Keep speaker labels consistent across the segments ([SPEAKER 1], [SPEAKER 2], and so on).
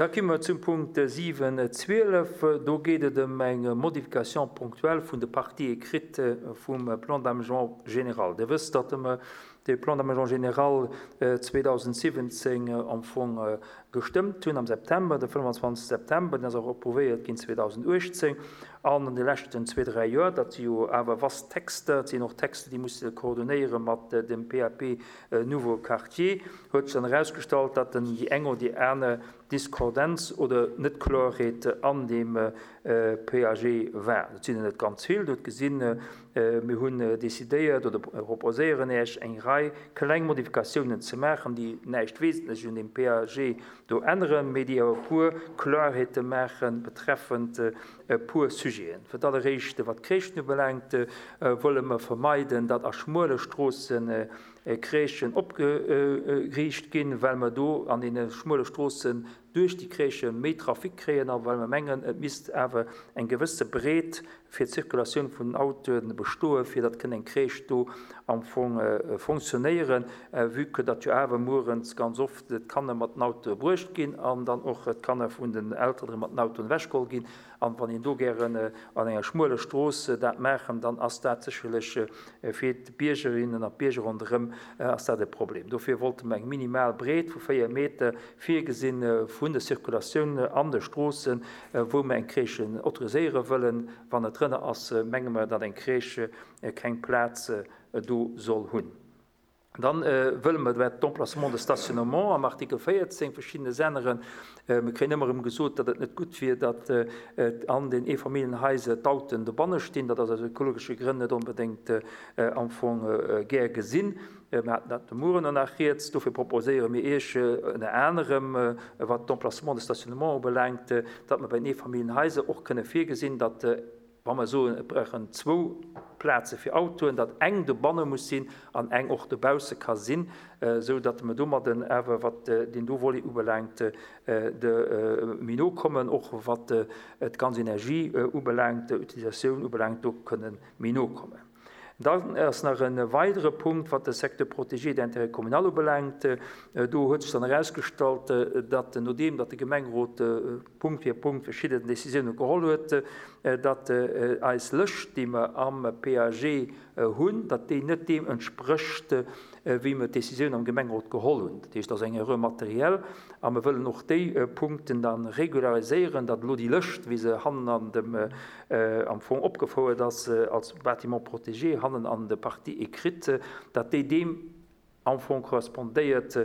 [SPEAKER 1] Da komme mer zum Punkt 7, 12. Do geet et ëm eng Modification ponctuelle vun de Parties écrites vum Plan d'aménagement général. Dir wësst, datt mer dee Plan d'aménagement général 2017 am Fong gestëmmt hunn am September, de 25 September. Deen ass och approuvéiert ginn 2018. An an de leschten zwee, dräi Joer, dat si jo awer vast Texter, et sinn och Texter, déi musse koordonéiere mat dem PAP Nouveau Quartier, huet sech dann erausgestallt, datt en déi eng oder déi aner Discordenz oder Net-Kloerheet an deem PAG war. Dat sinn der net ganz vill. Der hutt gesinn, mir hunn decidéiert oder proposéieren Iech, eng Rei kleng Modifikatiounen ze maachen, déi näischt Wesentlech un deem PAG do änneren, mee déi awer e puer Kloerheete maache betreffend e puer Sujeten. Fir d'alleréischt, wat d'Crèchen ubelaangt, wëlle mer vermeiden, datt a schmuele Stroosse Crèchen opgeriicht ginn, well mer do an deene schmuele Stroossen duerch déi Crèchë méi Trafic kréien a well mer mengen, et misst awer eng gewësse Breet fir d'Circulatioun vun den Autoe bestoen, fir datt kënn eng Crèche do am Fong fonctionnéieren, vue que datt jo awer muerens ganz oft d'Kanner mat den Autoe bruecht ginn an dann och d'Kanner vun den Elteren erëm mat den Autoen ewechgeholl ginn. An wann een do gären an enger schmueler Strooss dat maachen, dann ass dat sécherlech fir d'Biergerinnen an d'Bierger ronderëm ass dat e Problem. Dofir wollte mer eng minimal Breet vu 4 Meter virgesinn vun der Circulatioun an de Stroossen, wou mer eng Crèche autoriséiere wëllen. Wann et drënner ass, menge mer, datt eng Crèche keng Plaz do soll hunn. Dann wëlle mer wat d'Emplacement de stationnement am Artikel 14 verschiddenes änneren. Mir kréien ëmmer erëm gesot, datt et net gutt wier, datt an den Eefamilljenhaiser d'Auten dobanne stinn. Dat ass aus ökologesche Grënn net onbedéngt am Fong gär gesinn. Mir haten dat de Mueren och nach rieds. Dofir proposéiere mir Iech ënner anerem, wat d'Emplacement de stationnement ubelaangt, datt mer bei den Eefamilljenhaiser och kënne virgesinn, datt, Wa mer soen, et brauchen zwou Plaze fir Autoen, datt eng dobanne muss sinn an eng och dobausse ka sinn, esou datt mer domadden awer, wat deen do Volet ubelaangt, de méi no kommen, och wat d'ganz Energie ubelaangt, d'Utilisatioun ubelaangt, do kënne méi no kommen. Dann ass nach e weidere Punkt, wat de Secteur protégé d'intérêt communal ubelaangt. Do huet sech dann erausgestallt, datt nodeem datt de Gemengerot Punkt fir Punkt verschidden Décisiounen geholl huet, datt eis Lëscht, déi mer am PAG hunn, datt déi net deem entsprécht, wéi mer d'Décisioun am Gemengerot geholl hunn. Dat heescht, et ass eng Erreur matérielle a mer wëllen och déi Punkten da regulariséieren, datt elo déi Lëscht, wéi se hannen an dem, am Fong opgefouert ass als Bâtiment protégé, hannen an der Partie écrite, datt déi deem am Fong korrespondéiert,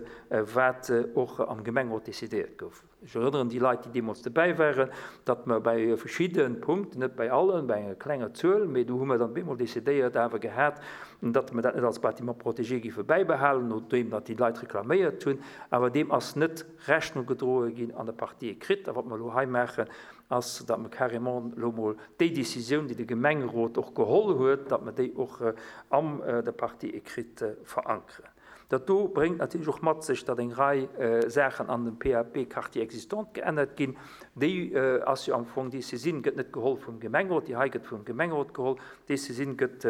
[SPEAKER 1] wat och am Gemengerot decidéiert gouf. Ech erënneren déi Leit, déi deemools dobäi waren, datt mer bäi verschidde Punkten, net bäi allen, bäi enger klenger Zuel, mee do hu mer dann bemol decidéiert awer gehat, datt mer dat net als Bâtiment protégé géife bäibehalen, nodeem datt déi Leit reklaméiert hunn. Awer deem ass net Rechnung gedroe ginn an der Partie écrite. A wat mer elo hei maachen, ass, datt mer carrément elo mol déi Décisioun, déi de Gemengerot och geholl huet, datt mer déi och an der Partie écrite verankeren. Dat do bréngt natierlech och mat sech, datt eng Rei Saachen an dem PAP Quartier existant geännert ginn. Déi ass jo am Fong, déi Saisine gëtt net geholl vum Gemengerot, déi hei gëtt vum Gemengerot geholl, déi Saisine gëtt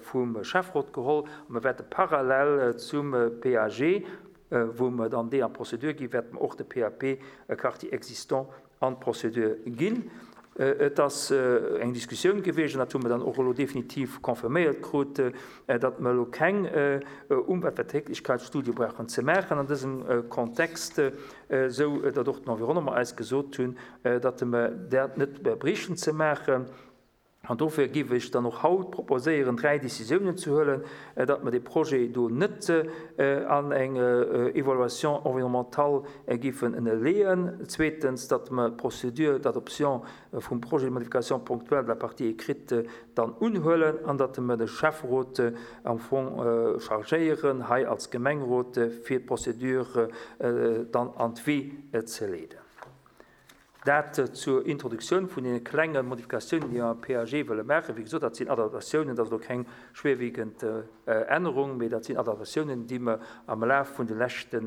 [SPEAKER 1] vum Schäfferot geholl. A mer wäerte parallel zum PAG, wou mer dann déi an d'Procédure ginn, wäerte mer och de PAP Quartier existant an d'Procédure ginn. Et ass eng Diskussioun gewiescht, an dat hu mer dann och elo definitiv confirméiert krut, datt mer elo keng Umweltverträglichkeitsstudie brauchen ze maachen an dësem Kontext, esou datt och den Environnement eis gesot hunn, datt mer dat net bräichten ze maachen. An dofir géif ech dann och haut proposéieren, dräi Décisiounen ze huelen, datt mer dee Projet do net an eng Évaluation environnementale géifen ënnerleeën, zweetens, datt mer d'Procédure d'adoption vum Projet de modification ponctuelle de la partie écrite dann unhuelen an datt mer de Schäfferot am Fong chargéieren, hei als Gemengerot, fir d'Procédure dann an d'Wee ze leeden. Dat zur Introduktioun vun deene klenge Modifikatiounen, déi mer am PAG wëlle maachen. Wéi gesot, dat sinn Adaptatiounen, dat ass elo keng schwerwiegend Ännerung, mee dat sinn Adaptatiounen, déi mer am Laf vun de leschte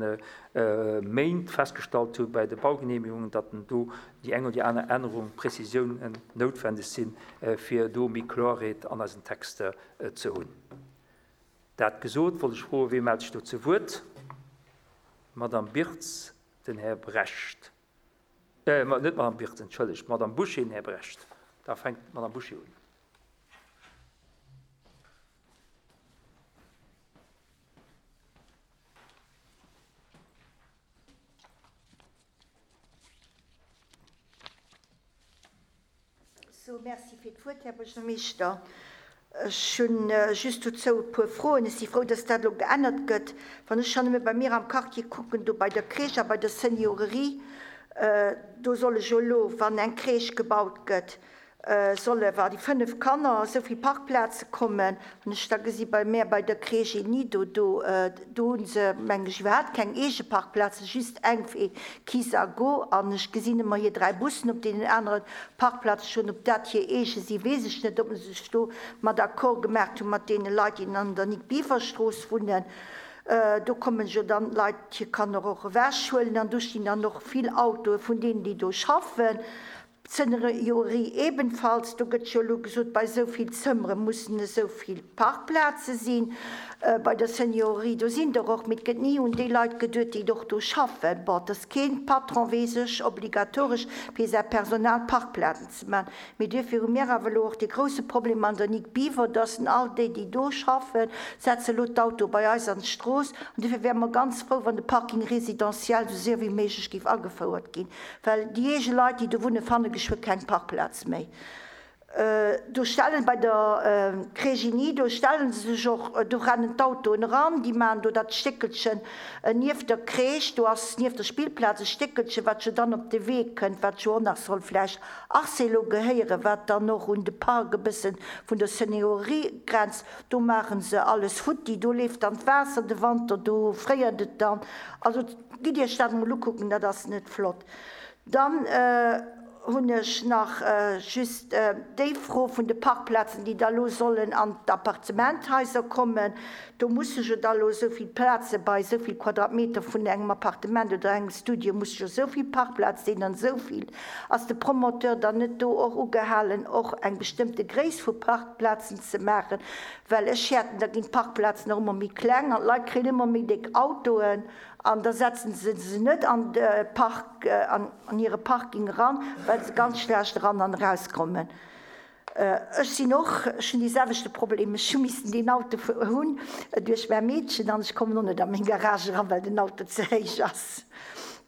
[SPEAKER 1] Méint festgestallt hu bei de Baugenehmigungen, datt do déi eng oder déi aner Ännerung, Prezisiounen noutwendeg sinn, fir do méi Klorheet an eisen Texter ze hunn. Dat gesot, wollt ech froen, Wie mellt sech do zu Wuert? D'Madame Birtz, den Här Brecht. Net d'Madame Wirtz, entschëllegt, d'Madame Bouché, den Här Brecht. Da fänkt d'Madame Bouché un.
[SPEAKER 2] Sou, Merci fir d'Wuert, Här Buergermeeschter. Ech hu just dozou e puer Froen. Ech si frou, dass dat elo geännert gëtt. Wann ech schonn nëmme bei mir am Quartier kucken, do bei der Crèche a bei der Seniorerie, do solle jo elo, wann eng Crèche gebaut gëtt, solle wa déi 5 Kanner esou vill Parkplaze kommen. Wann ech da gesi bei mär bei der Crèche Nido, do, do hu se, meng ech, iwwerhaapt keng eege Parkplazen, just eng fir Kiss a Go. An ech gesinn ëmmer hir 3 Bussen op deenen anere Parkplaze stoen. Ob dat hir eege si weess ech net, ob se sech do mat Accord gemaacht hu mat deene Leit, déi an der Nic-Biever-Strooss wunnen. Do kommen jo dann d'Leit hir Kanner och ewechhuelen an do stinn dann och vill Autoe vun deenen, déi do schaffen. D'Seniorie ebenfalls, do gëtt jo elo gesot, bei esou vill Zëmmere mussen esou vill Parkplaze sinn. Bei der Seniorie, do sinn der och, mee et gëtt ni un déi Leit geduet, déi och do schaffen. Bon, et ass keen Patron, weess ech, obligatoresch fir säi Personal Parkplazen ze maachen. Mee duerfir hu mir awer elo och dee grouse Problem an der Nic Biwer, dass all déi, déi do schaffen, setze elo d'Autoe bei eis an d'Strooss. An duerfir wäre mer ganz frou, wann de Parking résidentiel esou séier wéi méiglech géif agefouert ginn. Well déi eege Leit, déi do wunne fanne geschwë keng Parkplaz méi. Do stellen, bei der Crégini, do stelle se sech och, do rennen d'Autoen eran, déi maachen do dat Stéckelchen nieft der Crèche, do ass nieft der Spillplaz e Stéckelchen, wat jo dann op de Wee kënnt, wat jo och nach soll vläicht Arcelo gehéieren, wat dann och un de Park e bësse vun der Seniorerie grenzt. Do maache se alles futti, do leeft dann d'Waasser de Wanter, do fréiert et dann. Also Gitt Iech dat emol ukucken, dat ass net flott. Dann hunn ech nach just déi Fro vun de Parkplazen, déi da lo sollen an d'Appartementhaiser kommen. Do musse jo da lo esou vill Plaze bei esou vill Quadratmeter vun engem Appartement oder engem Studio musse jo esou vill Parkplaz sinn an esou vill. Ass de Promoteur dann net do och ugehalen, och eng bestëmmte Gréisst vu Parkplazen ze maachen? Well ech häerten, da ginn d'Parkplazen och ëmmer méi kleng an d'Leit kréien ëmmer méi déck Autoen. An da setzen se se net an de Park, an hire Parking eran, well se ganz schlecht eran an erauskommen. Ech sinn och, ech hunn dee selwechte Problem, ech hu missen deen Auto hunn duerch mäi Meedchen an ech kommen och net a meng Garage eran, well den Auto ze héich ass.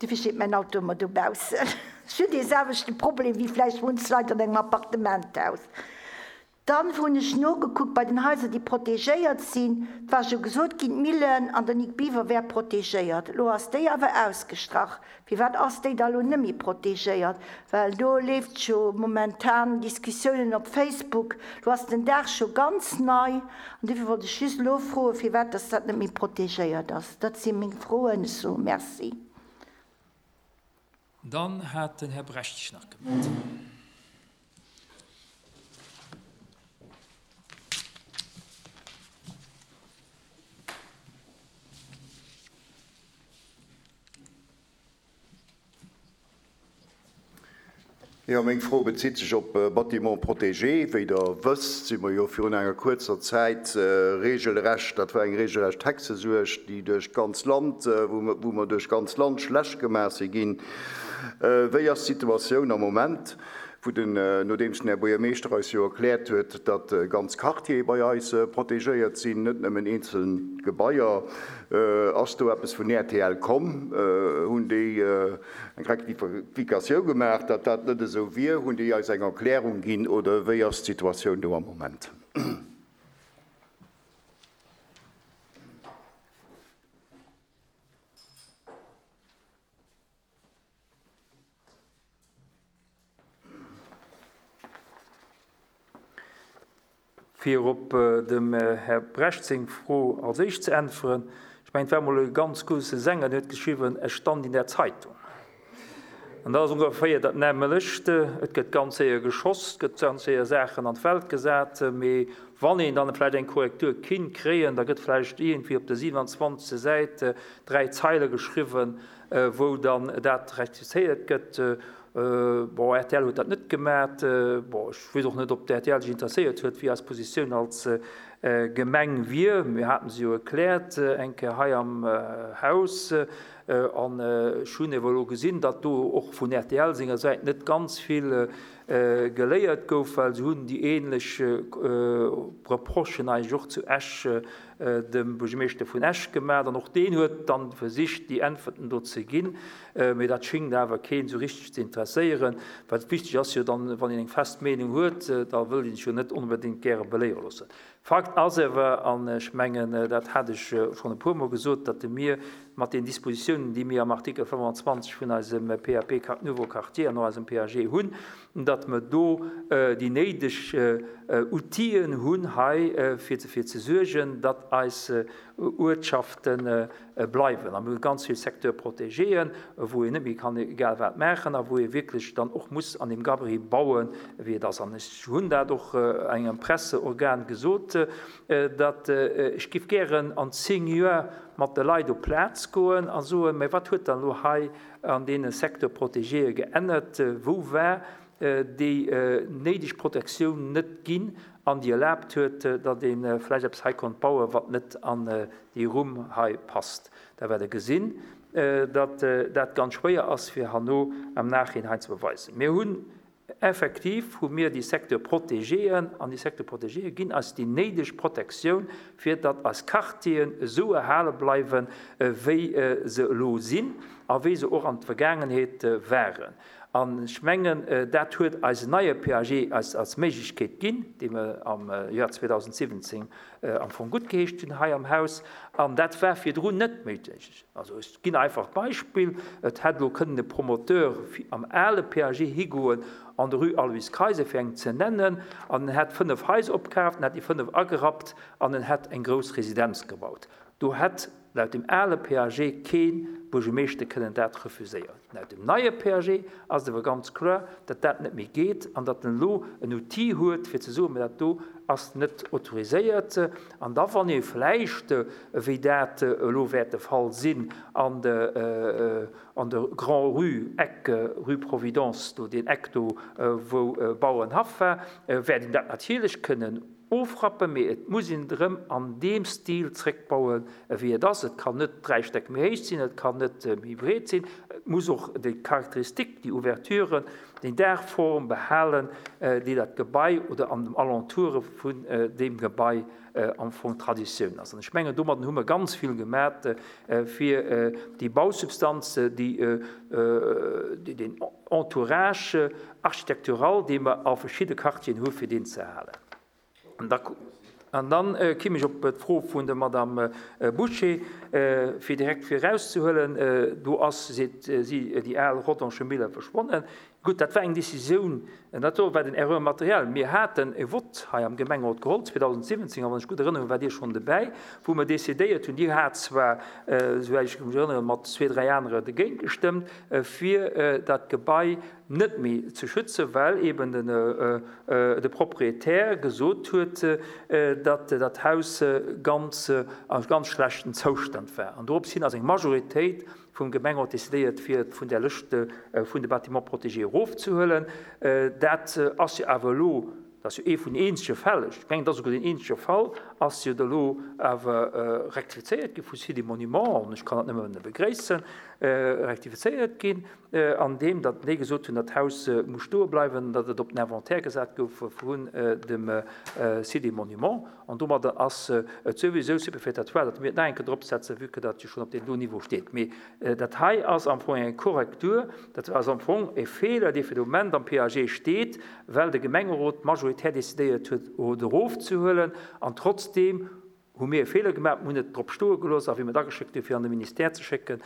[SPEAKER 2] Dofir steet mäin Auto ëmmer dobaussen. Ech hunn dee selwechte Problem wéi vläicht munch Leit an engem Appartementhaus. Dann hunn ech nogekuckt bei den Haiser, déi protegéiert sinn. Et war jo gesot ginn, d'Millen an der Nic Biwer wär protegéiert. Elo ass déi awer ausgestrach. Firwat ass déi da lo net méi protegéiert? Well do leeft jo momentan Diskussiounen op Facebook. Lo ass den Daach scho ganz nei. An dofir wollt ech just elo froen, firwat dass dat net méi protegéiert ass. Dat si meng Froen. Ech soe Merci.
[SPEAKER 1] Dann hat den Här Brecht sech nach gemellt.
[SPEAKER 3] Jo, meng Fro bezitt sech op Bâtiments protégés. Wéi Der wësst, si mer jo virun enger kuerzer Zäit regelrecht, dat war eng regelrecht Hexesuerg, déi duerch d'ganz Land, wou mer duerch d'ganz Land schlecht gemaach si ginn. Wéi ass d'Situatioun am Moment, wou den, nodeems den Här Buergermeeschter eis jo erkläert huet, datt ganz Quartiere bei eis protegéiert sinn, net nëmmen eenzel Gebaier, ass do eppes vun rtl komm? Hunn déi eng Rectificatioun gemaach, datt dat net esou wier? Hunn déi eis eng Erklärung ginn oder wéi ass d'Situatioun do am Moment?
[SPEAKER 1] Fir op dem Här Brecht seng Fro als éischt ze äntweren, Ech mengen, et war emol e ganz grousse Sänger, deen huet geschriwwen, Es stand in der Zeitung. An dat ass ongeféier dat nämmelecht. Et gëtt ganz séier geschoss, et gëtt ganz séier Saachen an d'Welt gesat, mee wann een dann vläicht eng Korrektur kinnt kréien, da gëtt vläicht iergendwéi op der 27. Säit dräi Zeile geschriwwen, wou dann dat rectifizéiert gëtt. Bon, rtl huet dat net gemat. Bon, ech weess och net, ob d'RTL sech interesséiert huet, wéi eis Positioun als Gemeng wier. Mir haten se jo erkläert eng Kéier hei am Haus. An ech hunn ewer elo gesinn, datt do och vun rtl senger Säit net ganz vill geléiert gouf, well se hunn déi ähnlech Reprochen eigentlech och zu Esch dem Buergermeeschter vun Esch gemaach. An och deen huet dann versicht, déi Äntwerten do ze ginn. Mee dat schéngt awer keen esou richteg ze interesséieren. Well wichteg ass jo dann, wann een eng fest Meenung huet, da wëllt een sech jo net onbedéngt gäre beléiere loossen. Fakt ass awer, an ech mengen, dat hat ech schonn e puermol gesot, datt mir mat den Dispositiounen, déi mir am Artikel 25 vun eisem PAP Nouveaux Quartiers an och eisem PAG hunn, datt mer do déi néideg Outile hunn hei, fir derfir ze suergen, datt eis Uertschafte bleiwen. A mir hu ganz vill Secteurs protégéen, wou een net méi kann egal wat maachen a wou ee wierklech dann och muss an deem Gabarit bauen, wéi et ass. An ech hunn dat och engem Presseorgan gesot, datt ech géif gären an 10 Joer mat de Leit op d'Plaz goen a soen, Mä wat huet dann elo hei an deene Secteurs protégéë geännert? Wou war déi néideg Protektioun net ginn an déi erlaabt huet, datt ee vläicht eppes hei konnt bauen, wat net an déi Rumm hei passt? Da wäert Der gesinn, datt dat ganz schwéier ass, fir herno am Nachhinein ze beweisen. Mir hunn Effektiv hu mir déi Secteurs protégéen, an déi Secteurs protégéë ginn eis déi néideg Protektioun, fir datt eis Quartieren esou erhale bleiwen, wéi se elo sinn a wéi se och an der Vergaangenheet waren. An ech mengen, dat huet eisen neie PAG eis als Méiglechkeet ginn, dee mer am Joer 2017 am Fong guttgeheescht hunn hei am Haus. An dat war virdrun net méiglech. Also ech ginn einfach d'Beispill, Et hätt elo kënnen e Promoteur am ale PAG higoen an der Rue Aloyse Kayser, fir eng ze nennen, an en hätt 5 Haiser opkaaft, en hätt déi 5 agerappt an en hätt eng grouss Residenz gebaut. Do hätt laut dem ale PAG kee Buergermeeschter kënnen dat refuséieren. Laut dem neie PAG ass et awer ganz kloer, datt dat net méi geet an datt en elo en Outil huet, fir ze soen, Mä dat do ass net autoriséiert. An da wann ee vläicht, wéi dat elo wäert de Fall sinn, an de an der Grand-Rue, Eck Rue Providence, do deen Eck do wou Bauerenhaff war, wäert een dat natierlech kënnen ofrappen, mee et muss een et erëm an deem Stil zréckbauen, wéi et ass. Et kann net 3 Stäck méi héich sinn, et kann net méi breet sinn, et muss och déi Charakteristik, déi Ouverturen, déi Daachform behalen, déi dat Gebai oder an dem Alentoure vun deem Gebai am Fong Traditioun ass. An ech mengen, domadden hu mer ganz vill gemat, fir déi Bausubstanz, déi, deen Entourage architectural, dee mer a verschidde Quartieren hu fir deen ze erhalen. An dann kimm ech op d'Fro vun der Madame Bouché, fir direkt virauszehuelen, do ass, seet si, déi al Rodange Mille verschwonnen. Gutt, dat war eng Décisioun, dat do war den Erreur matérielle. Mir haten e Vott hei am Gemengerot geholl 2017, a wann ech gutt erënnere waart Dir schonn dobäi, wou mer decidéiert hunn, Dir hat zwar, souwäit ech mech erënneren, mat zwee, dräi anere dergéint gestëmmt, fir dat Gebai net méi ze schützen, well eben de Proprietär gesot huet, datt dat Haus ganz a ganz schlechten Zoustand war. An dorops hin ass eng Majoritéit vum Gemengerot decidéiert, fir et vun där Lëscht vun de Bâtiments protégés erofzehuelen. Dat ass jo awer elo, dat ass jo ee vun den eenzege Fäll, ech mengen, et ass esouguer deen eenzege Fall, ass jo elo awer rektifizéiert gi vu Sites et Monuments, an ech kann dat nëmme begréissen, rektifizéiert ginn, an deem datt déi gesot hunn, dat Haus muss stoe bleiwen, datt et op den Inventaire gesat gouf vun dem Site des Monuments. An domadder ass et souwisou superfétatoire, datt mir et nach eng Kéier dropsetzen, vue que dat jo schonn op deem do Niveau steet. Mee dat hei ass am Fong eng Korrektur, dat ass am Fong e Feeler, dee fir de Moment am PAG steet, well de Gemengerot majoritär decidéiert huet, et erofzehuelen an trotzdeem Hu mir e Feeler gemaach, mir hunn et drop stoe gelooss a wéi mir et ageschéckt hunn, fir an de Ministère ze schécken,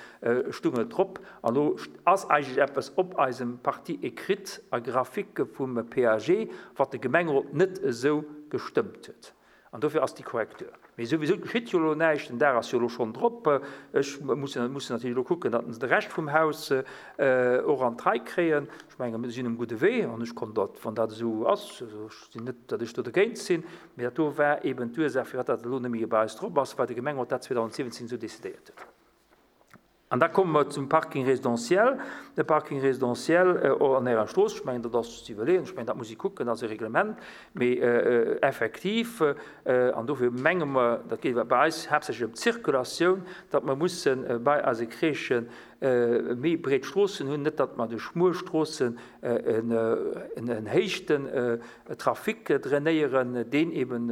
[SPEAKER 1] stung et drop. An elo ass eigentlech eppes op eisem Partie écrite a graphique vum PAG, wat de Gemengerot net esou gestëmmt huet. An dofir ass déi Korrektur. Mee souwisou, et geschitt jo elo näischt, den Daach ass jo elo schonn drop. Ech muss mussen natierlech elo kucken, datt se de Rescht vum Haus och an d'Rei kréien. Ech menge mir sinn um gudde Wee an ech kann dat, wann dat esou ass, also ech sinn net, datt ech do dergéint sinn, Mee dat do war eben d'Ursaach, firwat dat elo net méi bei eis drop ass, well de Gemengerot dat 2017 esou decidéiert huet. An da komme mer zum Parking résidentiel. De Parking résidentiel an Ärer Strooss, ech mengen, dat ass ze iwwerleeën, ech mengen, dat muss ee kucken, dat ass e Reglement, mee effektiv, an dofir menge mer, dat geet bei eis haaptsächlech ëm d'Zirkulatioun, datt mer musse bei eise Crèchen méi breet Stroossen hunn, net datt mer duerch schmuel Stroossen en héichten Trafic drainéieren, deen eben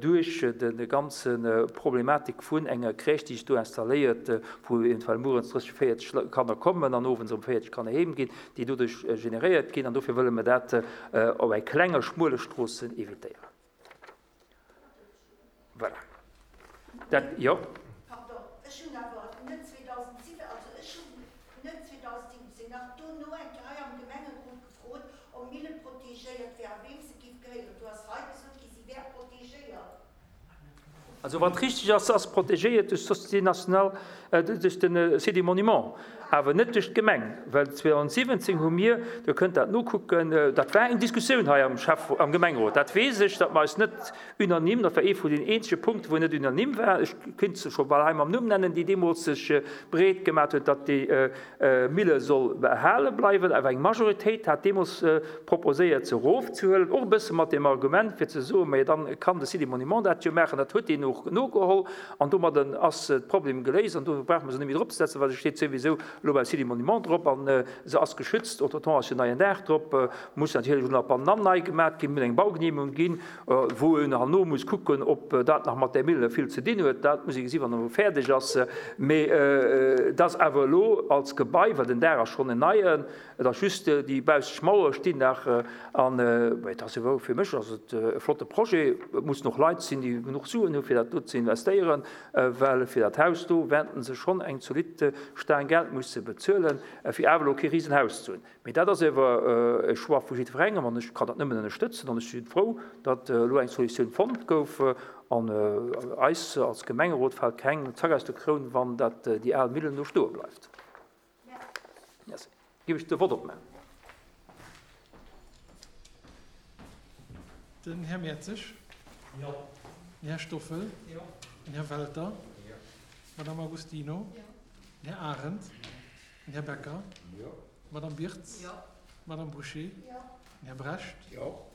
[SPEAKER 1] duerch de ganze Problematik vun enger Crèche, déi sech do installéiert, wou eventuell muerens 30, 40 Kanner kommen an owends erëm 40 Kanner heem ginn, déi doduerch generéiert ginn. An dofir wëlle mer dat op eng klenge, schmuele Stroossen evitéieren. Voilà. Dat, jo.
[SPEAKER 2] Pardon, ech hunn awer net 2007, also ech hunn net 2017, nach dono eng Kéier hei am Gemengerot gefrot, ob d'Mille protegéiert wär a weem se giff gehéieren. Do ass hei gesot gi, si wär protegéiert.
[SPEAKER 1] Also wat richteg ass, se ass protegéiert duerch d'Société nationale, duerch de Site des Monuments, awer net duerch d'Gemeng, well 2017 hu mir, Dir kënnt dat nokucken, dat war eng Diskussioun hei am Schäff-, am Gemengerot, dat weess ech, datt mer eis net unanime, dat war ee vun den eenzege Punkten, wou net unanime war, ech kéint se scho bal hei mam Numm nennen, déi deemools sech breet gemaat huet, datt déi Mille soll behale bleiwen, awer eng Majoritéit hat deemools proposéiert, se erofzehuelen, och e bësse mat deem Argument, fir ze soen, majo dann kann de Site des Monuments dat jo maachen. Dat huet deen och nogeholl an domadden ass de Problem geléist an do brauche mer se net méi dropzesetzen, well se steet souwisou elo beim Site des Monuments drop an se ass geschützt. Entretemps ass jo en neien Daach drop, muss natierlech elo nach bannenan nei gemat ginn, muss eng Baugenehmegung ginn, wou een herno muss kucken, ob dat nach mat där Mille vill ze dinn huet. Dat muss ee gesi wann e fäerdeg ass. Mee et ass awer elo als Gebai, well den Daach ass schonn en neien, et ass just déi bausseg Mauer stinn nach. An et ass ewell, fir mech ass et e flotte Projet. Et mussen och Leit sinn, déi genuch Suen hu fir dat do ze investéieren, well fir dat Haus do wäerten se schonn eng zolidd Staang Geld musse bezuelen, fir awer elo kee Risenhaus ze hunn. Mee dat ass ewer e Choix vu jiddwerengem an ech kann dat nëmmen ënnerstëtzen an ech si frou, datt elo eng Solutioun fonnt gouf. An eis als Gemengerot fält keng Zack aus der Kroun, wann dat déi al Millen do stoe bleift. Merci. Giff ech de Vott opmaachen.
[SPEAKER 4] Den Här Mertzig. Jo. Den Här Stoffel. Jo. Den Här Welter. Jo. D'Madame Agostino. Jo. Den Här Arendt. Den Här Becker. Jo. D'Madame Birtz. Jo. D'Madame Bouché. Jo. Den Här Brecht. Jo.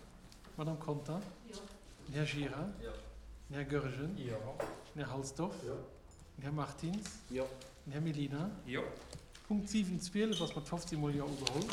[SPEAKER 4] D'Madame Conter. Jo. Den Här Gira. Jo. Den Här Goergen. Jo. Den Här Halsdorf. Jo. Den Här Martins. Jo. Den Här Mellina. Jo. Punkt 7, 12 ass mat 15 mol Jo ugeholl.